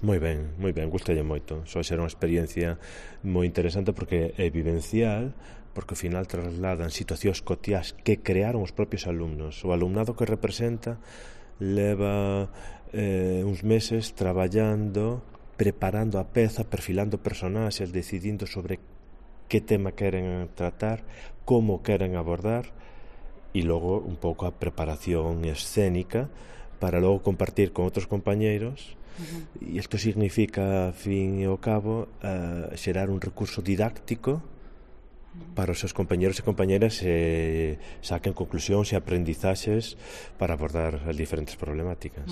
moi ben, gustalle moito. Só ser unha experiencia moi interesante porque é vivencial, porque ao final trasladan situacións cotiás que crearon os propios alumnos. O alumnado que representa leva uns meses traballando, preparando a peza, perfilando personaxes, decidindo sobre que tema queren tratar, como queren abordar, e logo un pouco a preparación escénica para logo compartir con outros compañeiros. E isto significa, a fin e ao cabo, xerar un recurso didáctico para os seus compañeros e compañeras saquen conclusións e aprendizaxes para abordar as diferentes problemáticas.